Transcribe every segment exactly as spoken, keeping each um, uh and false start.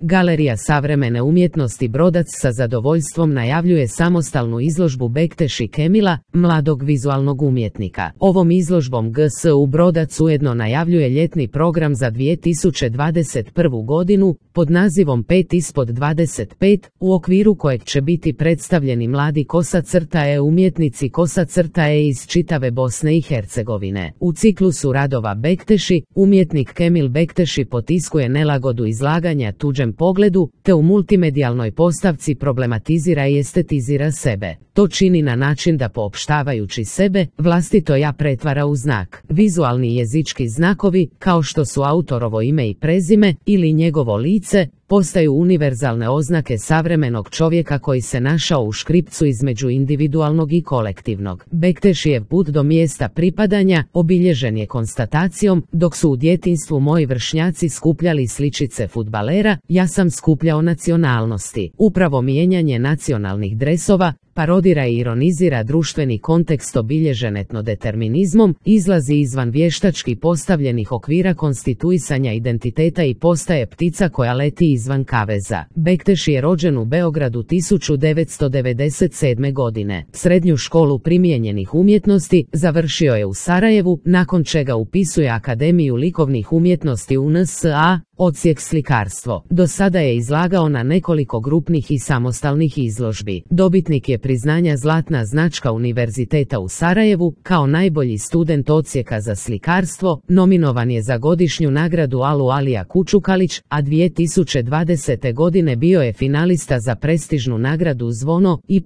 Galerija savremene umjetnosti Brodac sa zadovoljstvom najavljuje samostalnu izložbu Bekteši Kemila, mladog vizualnog umjetnika. Ovom izložbom G S U Brodac ujedno najavljuje ljetni program za dvije tisuće dvadeset prvu godinu pod nazivom pet ispod dvadeset pet, u okviru kojeg će biti predstavljeni mladi kosa-e umjetnici kosa-e iz čitave Bosne i Hercegovine. U ciklusu radova Bekteši, umjetnik Kemil Bekteši potiskuje nelagodu izlaganja tuđem pogledu, te u multimedijalnoj postavci problematizira i estetizira sebe. To čini na način da poopštavajući sebe, vlastito ja pretvara u znak. Vizualni jezički znakovi, kao što su autorovo ime i prezime ili njegovo lice, postaju univerzalne oznake savremenog čovjeka koji se našao u škripcu između individualnog i kolektivnog. Bektešijev put do mjesta pripadanja obilježen je konstatacijom: dok su u djetinjstvu moji vršnjaci skupljali sličice fudbalera, ja sam skupljao nacionalnosti. Upravo mijenjanje nacionalnih dresova parodira i ironizira društveni kontekst obilježen etnodeterminizmom, izlazi izvan vještački postavljenih okvira konstituisanja identiteta i postaje ptica koja leti izvan kaveza. Bekteši je rođen u Beogradu tisuću devetsto devedeset sedme. godine. Srednju školu primijenjenih umjetnosti završio je u Sarajevu, nakon čega upisuje Akademiju likovnih umjetnosti u N S A, odsjek slikarstvo. Do sada je izlagao na nekoliko grupnih i samostalnih izložbi. Dobitnik je priznanja Zlatna značka Univerziteta u Sarajevu, kao najbolji student odsjeka za slikarstvo, nominovan je za godišnju nagradu Alu Alija Kučukalić, a dvije tisuće dvadesete. godine bio je finalista za prestižnu nagradu Zvono Y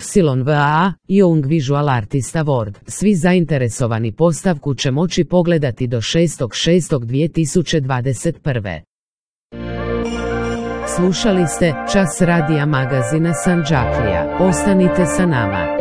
V A A Young Visual Artist Award. Svi zainteresovani postavku će moći pogledati do šestog šestog dvije tisuće dvadeset prve. Slušali ste Čas radija magazina Sandžaklija. Ostanite sa nama.